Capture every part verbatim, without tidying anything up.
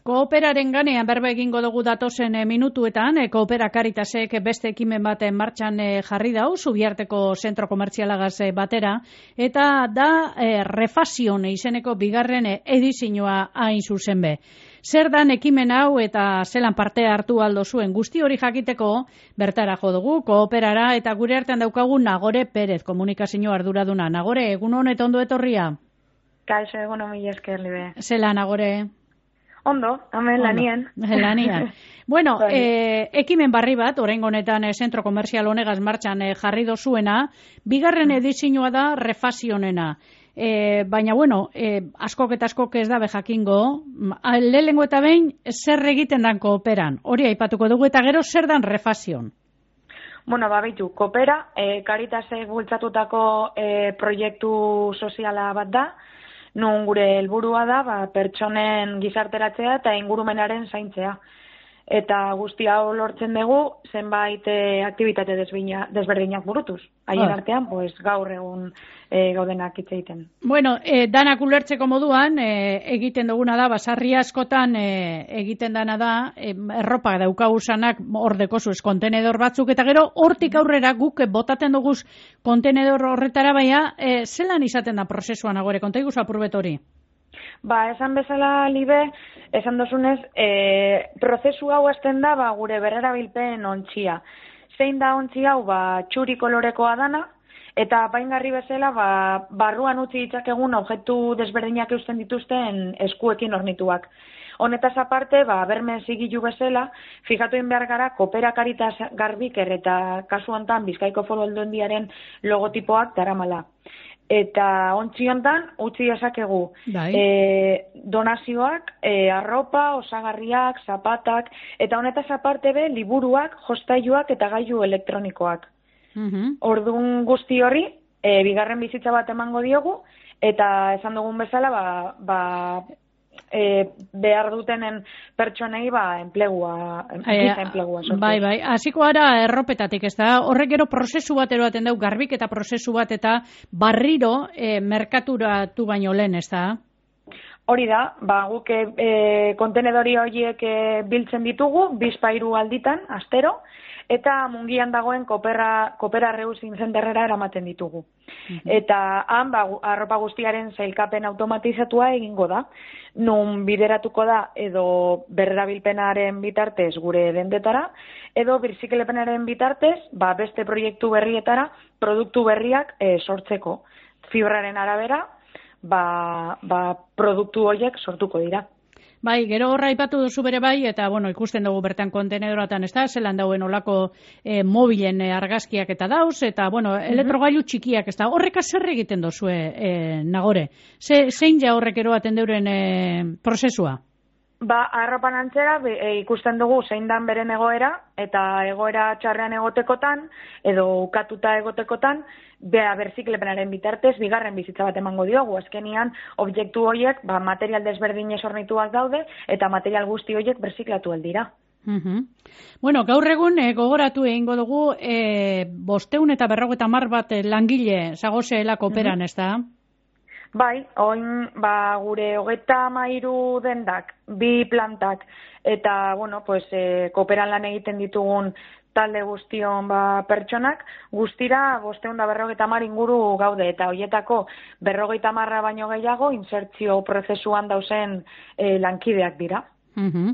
Kooperaren ganean berba egingo dugu datozen e, minutuetan, e, Koopera Karitasek beste ekimen baten martxan e, jarri dau, Zubiarteko zentro komertzialagaz e, batera, eta da e, Refasion izeneko bigarren e, edizioa hain zuzen be. Zer dan ekimen hau eta zelan parte hartu aldo zuen guzti hori jakiteko bertara jo dugu, Kooperara, eta gure artean daukagu Nagore Perez, komunikazio arduraduna. Nagore, egun honet ondo etorria? Kaixo, egun honi esker, libe. Zela, Nagore? Ondo, hemen lanien. Lanien. Bueno, eh, ekimen barri bat, oraingo honetan eh, zentro komerzial honegaz martxan eh, jarri dozuena, bigarren edizioa da Refasionena. Eh, baina, bueno, eh, askok eta askok ez dabe jakingo, lehengo eta behin zer egiten dan Kooperan. Hori aipatuko dugu eta gero zer dan Refasion. Bueno, babitu, Koopera, eh, Karitasek bultzatutako eh, proiektu soziala bat da, nun gure helburua da, ba, pertsonen gizarteratzea eta ingurumenaren zaintzea. Eta guzti hau lortzen dugu, zenbait e, aktibitate desberdinak burutuz. Haien artean, pues, gaur egun e, gaudenak hitz egiten. Bueno, e, danak ulertzeko moduan, e, egiten duguna da, basarri askotan e, egiten dana da, e, erropa daukagusanak hor dekozuz kontenedor batzuk, eta gero hortik aurrera guk botaten duguz kontenedor horretara baina, e, zelan izaten da prozesuan agore, konta iguz apurbet hori? Ba, esan bezala, Libe, esan dozunez, e, prozesu hau hasten da, ba, gure berrerabilpen ontzia. Zein da ontzi hau, ba, txuri kolorekoa dana, eta apaingarri bezala, ba, barruan utzi ditzakegun objektu desberdinak eusten dituzten eskuekin ornituak. Honetaz aparte, ba, berme zigilu bezala, fijatuin behar gara, Koopera Karitas Garbiker eta kasu hontan Bizkaiko Foru Aldundiaren logotipoak daramala. Eta ontzi hontan utzi dezakegu e, donazioak, e, arropa, osagarriak, zapatak, eta honetaz aparte be, liburuak, jostailuak eta gailu elektronikoak. Uh-huh. Orduan guzti hori, e, bigarren bizitza bat emango diogu, eta esan dugun bezala, ba, ba E, behar dutenen pertsonei ba enplegua, e, enplegua sortu. Bai, bai, hasiko gara erropetatik, ez da, horrek gero prozesu bat eroaten dau, garbik eta prozesu bat eta barriro e, merkaturatu baino lehen, ez da? Hori da, ba, guk e, kontenedori horiek e, biltzen ditugu, bizpairu alditan, astero, eta mungian dagoen Koopera, Koopera Reusin zenterrera eramaten ditugu. Uh-huh. Eta han, ba, arropa guztiaren zailkapen automatizatua egingo da, nun bideratuko da edo berrerabilpenaren bitartez gure dendetara, edo birziklepenaren bitartez, ba, beste proiektu berrietara, produktu berriak e, sortzeko. Fibraren arabera, ba, ba, produktu horiek sortuko dira. Bai, gero horra ipatu duzu bere bai, eta bueno, ikusten dugu bertan kontenedoratan, ez da, zelan dauen olako e, mobilen e, argazkiak eta dauz, eta bueno, uh-huh. elektrogailu txikiak, ez da, horrek zer egiten dozue, e, Nagore? Ze, zein ja horrek eroaten deuren e, prozesua? Ba, arropan antzera e, ikusten dugu zein dan beren egoera, eta egoera txarrean egotekotan, edo ukatuta egotekotan, bea berziklepenaren bitartez, bigarren bizitza bat emango diogu. Azkenian, objektu horiek, ba, material desberdinez ornituak daude, eta material guzti horiek berziklatu aldira. Uh-huh. Bueno, gaur egun e, gogoratu egingo dugu, e, bosteun eta berrogeta mar bat e, langile zagozeela Kooperan, uh-huh. ez da? Bai, oin ba, gure hogeta amairu dendak, bi plantak, eta, bueno, pues, e, Kooperan lan egiten ditugun talde guztion ba, pertsonak, guztira bosteun da berrogeita mar inguru gaude, eta horietako berrogeita marra baino gehiago insertzio prozesuan dauzen e, lankideak dira. Uh-huh.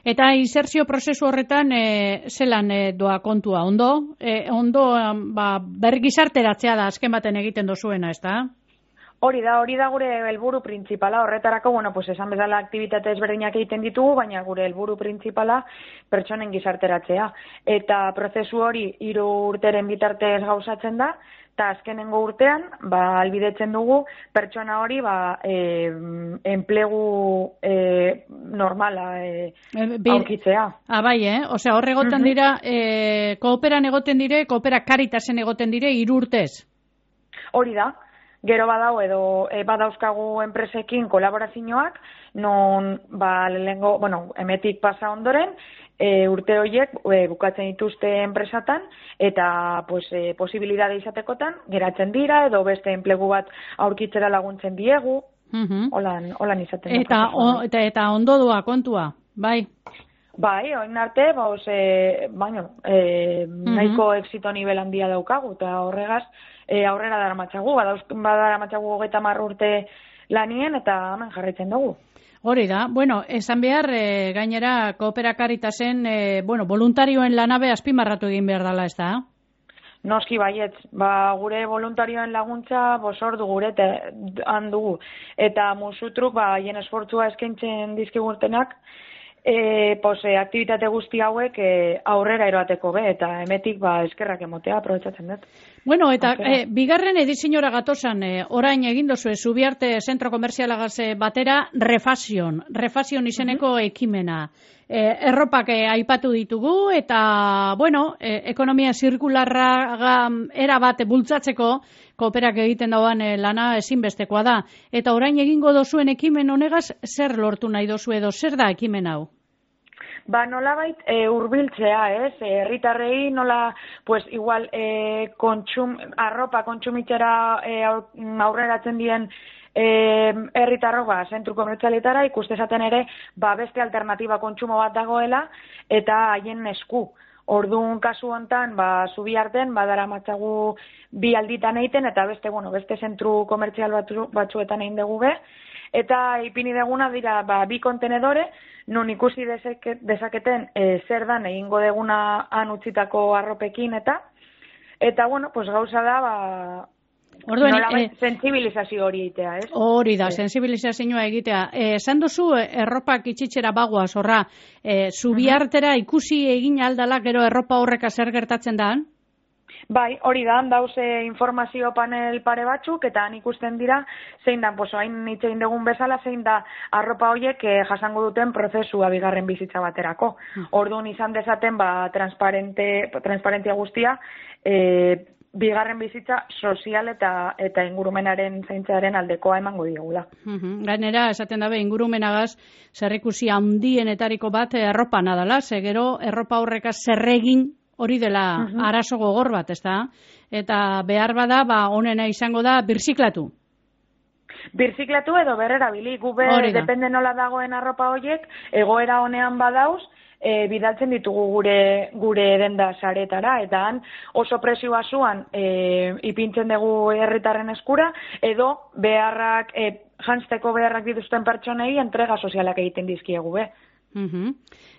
Eta insertzio prozesu horretan e, zelan e, doa kontua, ondo? E, ondo ba, bergizarteratzea da azken baten egiten dozuena, ez da? Hori da, hori da gure helburu printzipala, horretarako, bueno, pues esan bezala aktibitate ezberdinak egiten ditugu, baina gure helburu printzipala pertsonen gizarteratzea. Eta prozesu hori hiru urteren bitartez gauzatzen da, eta azkenengo urtean, ba, albidetzen dugu pertsona hori, ba, e, enplegu e, normala e, aurkitzea. Ah, bai, eh? Osea, hor egoten uh-huh. dira, e, Kooperan egoten dire, Koopera Karitasen egoten dire, hiru urtez? Hori da. Gero badau edo e, badauzkagu enpresekin kolaborazioak, non ba, lehengo, bueno, emetik pasa ondoren, e, urte horiek e, bukatzen dituzte enpresatan, eta pues, e, posibilidade izatekotan, geratzen dira, edo beste enplegu bat aurkitzera laguntzen diegu. Uh-huh. Holan, holan izaten. Eta, o, eta, eta ondo doa kontua, bai? Bai, oin arte, bauz, e, baino, e, uh-huh. nahiko exito nivel handia daukagu, eta horregaz, e, aurrera dara matxagu, badara matxagu hogeita hamar urte lanien, eta hemen jarraitzen dugu. Hori da, bueno, esan behar, e, gainera, Koopera Karitasen, e, bueno, voluntarioen lanabe azpimarratu egin behar dela, ez da? Noski baietz, ba, gure voluntarioen laguntza bosordu gure handugu. Eta musutruk, ba, hien esfortzua eskaintzen dizkigurtenak, e, pose, aktivitate guzti hauek e, aurrera eroateko be, eta emetik, ba, eskerrak emotea, aprobetsatzen dut. Bueno, eta e, bigarren ediziñora gatosan, e, orain egin dozu, Zubiarte Zentro Komerzialagaz batera, Refasion, Refasion izeneko uh-huh. ekimena. E, erropak e, aipatu ditugu, eta, bueno, e, ekonomia zirkularra era bat bultzatzeko, Kooperak egiten dauan e, lana ezinbestekoa da. Eta orain egingo dozuen ekimen honegaz, zer lortu nahi dozu edo, zer da ekimen hau? Ba, nolabait e, urbiltzea, ez? Herritarrei nola, pues, igual, e, kontsum, arropa kontsumitzera e, aurreratzen dien herritarro, ba, zentru komertzialetara ikustezaten ere, ba, beste alternatiba kontsumo bat dagoela, eta haien esku. Orduan kasu hontan, ba, Zubiarten, badara matzagu bi alditan egiten, eta beste, bueno, beste zentru komertzial batzu, batzuetan egin dugu be, eta ipini deguna dira, ba, bi kontenedore, nun ikusi dezake, dezaketen e, zer dan egingo deguna han utzitako arropekin, eta, eta, bueno, pues gauza da, ba, Orduan, eh, sensibilizazio hori egitea, ez? Hori da, sensibilizazioa egitea. Esan dozu, erropak itxitzera bagoa, zorra, e, Zubiartera ikusi egin aldala, gero erropa horreka zer gertatzen da? Bai, hori da, dauze informazio panel pare batzuk, eta han ikusten dira, zein da, poso, hain hitz egin dugun bezala, zein da arropa horiek eh, jasango duten prozesua bigarren bizitza baterako. Orduan izan dezaten, ba, transparente, transparentzia guztia, eh, bigarren bizitza sozial eta eta ingurumenaren zaintzaren aldekoa emango diegula. Uh-huh. Gainera, esaten dabe, ingurumenagaz zerrikusi handienetariko bat erropa nadala, ze gero erropa horreka zerregin hori dela uh-huh. arazo gogor bat, ezta? Eta behar bada, ba, onena izango da, birziklatu. Birziklatu edo berrerabili, gube depende nola dagoen arropa horiek, egoera honean badauz, E, bidaltzen ditugu gure gure denda saretara, eta han oso presioa zuan e, ipintzen dugu herritarren eskura, edo beharrak, e, jantzteko beharrak dituzten pertsonei entrega sozialak egiten dizkiegu be. Uh-huh.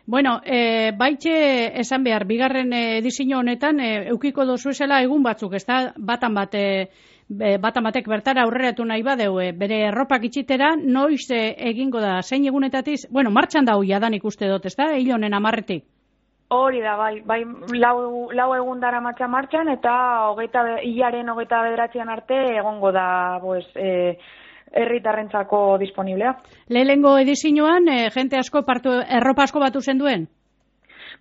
Bueno, e, baitxe esan behar, bigarren edizio honetan, e, eukiko dozu esela egun batzuk, ez da, batan bat, e, batan batek bertara aurreratu nahi badeu, e, bere erropak itxitera, noiz e, egingo da, zein egunetatiz, bueno, martxan da huia dan ikuste dut, ez da, hilonen amarretik? Hori da, bai, bai lau, lau egun dara matxa martxan, eta hogeita, hilaren hogeita bederatzean arte egongo da, pues, e, herritarrentzako disponiblea. Lehenengo edizioan, e, jente asko partu, erropa asko batu zen duen?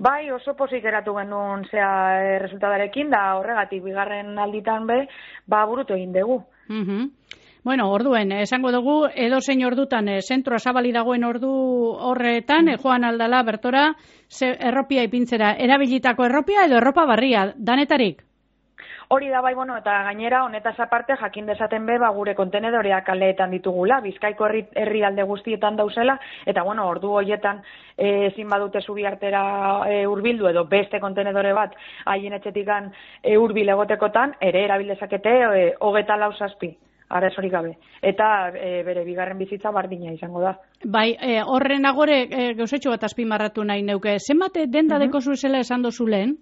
Bai, oso pozik geratu genuen zea e, resultadarekin, da horregatik bigarren alditan be, ba burutu egin dugu. Uh-huh. Bueno, orduen, esango dugu, edo zein ordutan, e, zentroa zabali dagoen ordu horretan, e, joan aldala bertora, ze, erropia ipintzera, erabilitako erropia edo erropa barria, danetarik? Hori da, bai, bueno, eta gainera, honetaz aparte, jakin dezaten be, ba, gure kontenedoreak kaleetan ditugula, Bizkaiko herri, herri alde guztietan dauzela, eta, bueno, ordu horietan e, ezin badute Zubiartera e, urbildu, edo beste kontenedore bat, haien etxetikan e, urbil egotekotan, ere erabildezakete e, hogeta lau zazpi. Arazorik gabe. Eta e, bere bigarren bizitza bardina izango da. Bai, e, horren agore, e, gauzetxo bat azpimarratu nahi neuke. Zenbat denda uh-huh. deko zuezela esan dozu lehen?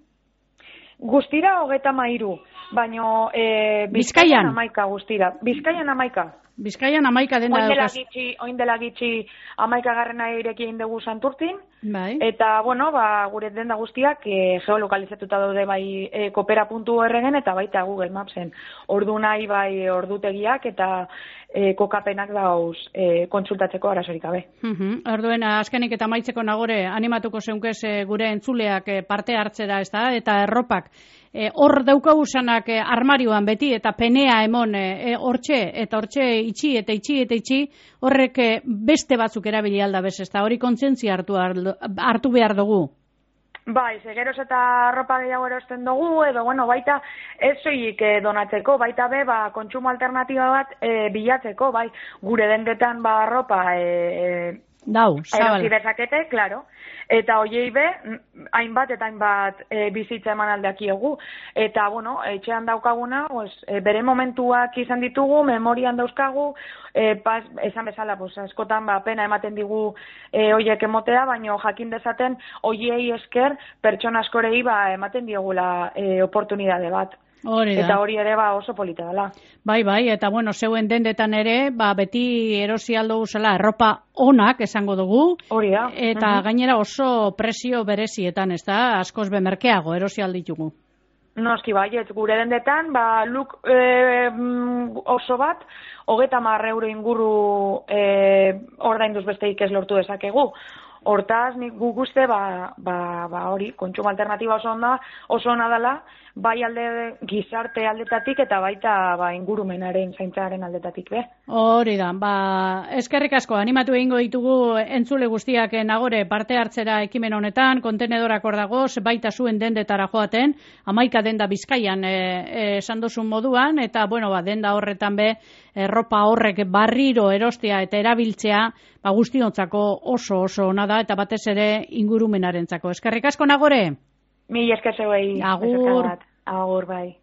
Guztira hogeta mairu, baino e, Bizkaian amaika guztira. Bizkaian amaika. Bizkaian amaika denda daukaz. Oin dela gitxi amaika garrena ireki egin dugu Santurtin. Bai. Eta, bueno, ba, gure denda guztiak e, geolokalizatuta daude bai e, kopera puntu orregen eta baita Google Mapsen. Ordu nahi bai ordutegiak eta e, kokapenak dauz e, kontsultatzeko arazorik gabe. Uh-huh. Orduen, azkenik eta maitzeko nagore animatuko zeunkez e, gure entzuleak e, parte hartzera, ez da, eta erropak. E, hor daukagusanak e, armarioan beti eta penea emon e, hortxe eta hortxe itxi eta itxi eta itxi horrek e, beste batzuk erabili alda bez, ez da hori kontzientzia hartu, hartu behar dugu. Bai, zegeroz eta arropa gehiago erosten dugu, edo, bueno, baita ez soilik e, donatzeko, baita be, ba, kontsumo alternatiba bat e, bilatzeko, bai, gure dendetan ba arropa e, Dau, zabal. erosi dezakete, claro. Eta hoiei be, hainbat eta hainbat e, bizitza eman aldeakiegu. Eta, bueno, etxean daukaguna, pues, e, bere momentuak izan ditugu, memorian dauzkagu, e, pas, esan bezala, pues, askotan ba, pena ematen digu e, hoiek emotea, baino jakin dezaten hoiei esker pertsona askorei ba, ematen diegula e, oportunidade bat. Hori da. Eta hori ere ba oso polita dela. Bai, bai, eta bueno, zeuen dendetan ere, ba, beti erosi aldo guzela, erropa onak esango dugu. Hori da. Eta uh-huh. gainera oso presio berezietan, ez da, askoz bemerkeago erosi alditugu. Noski baiet, gure dendetan, ba, luk e, oso bat, hogeta mar euro inguru e, ordainduz besteik ez lortu dezakegu. Hortaz, nik gu guzte, ba, ba, ba hori, kontsumo alternatiba oso onda, oso ona dela, bai alde gizarte aldetatik eta baita ba, ingurumenaren zaintzaren aldetatik be. Hori da, ba, eskerrik asko, animatu egingo ditugu entzule guztiak nagore parte hartzera ekimen honetan, kontenedorak hor dagoz, baita zuen dendetara joaten, hamaika denda Bizkaian esan e, duzun moduan, eta bueno, ba, denda horretan be, erropa horrek barriro erostea eta erabiltzea, ba, guztiontzako oso oso ona da, eta batez ere ingurumenarentzako. Eskerrik asko nagore? Mi esker zeuei. Agur. Agur, bai.